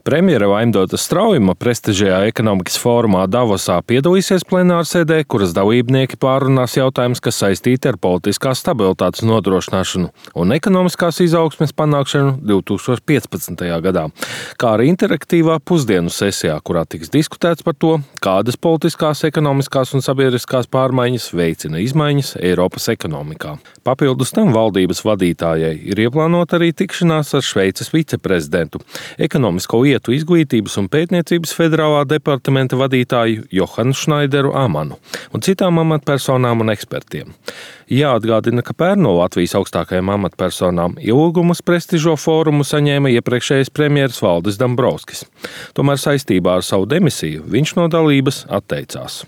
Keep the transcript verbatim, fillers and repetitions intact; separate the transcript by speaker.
Speaker 1: Premjere Vaimdota Straujuma prestižajā ekonomikas fórumā Davosā piedalīsies plenārsēdē, kuras dalībnieki pārunās jautājumus, kas saistīti ar politiskās stabilitātes nodrošināšanu un ekonomiskās izaugsmes panākšanu divi tūkstoši piecpadsmitajā gadā, kā arī interaktīvā pusdienu sesijā, kurā tiks diskutēts par to, kādas politiskās, ekonomiskās un sabiedriskās pārmaiņas veicina izmaiņas Eiropas ekonomikā. Papildus tam valdības vadītājai ir ieplānota arī tikšanās ar Šveices viceprezidentu, ekonomisko lietu izglītības un pētniecības federālā departamenta vadītāju Johanu Šnaideru Amanu un citām amatpersonām un ekspertiem. Jāatgādina, ka pērn no Latvijas augstākajām amatpersonām ielūgumus prestižo fórumu saņēma iepriekšējais premjeras Valdis Dombrovskis. Tomēr saistībā ar savu demisiju viņš no dalības atteicās.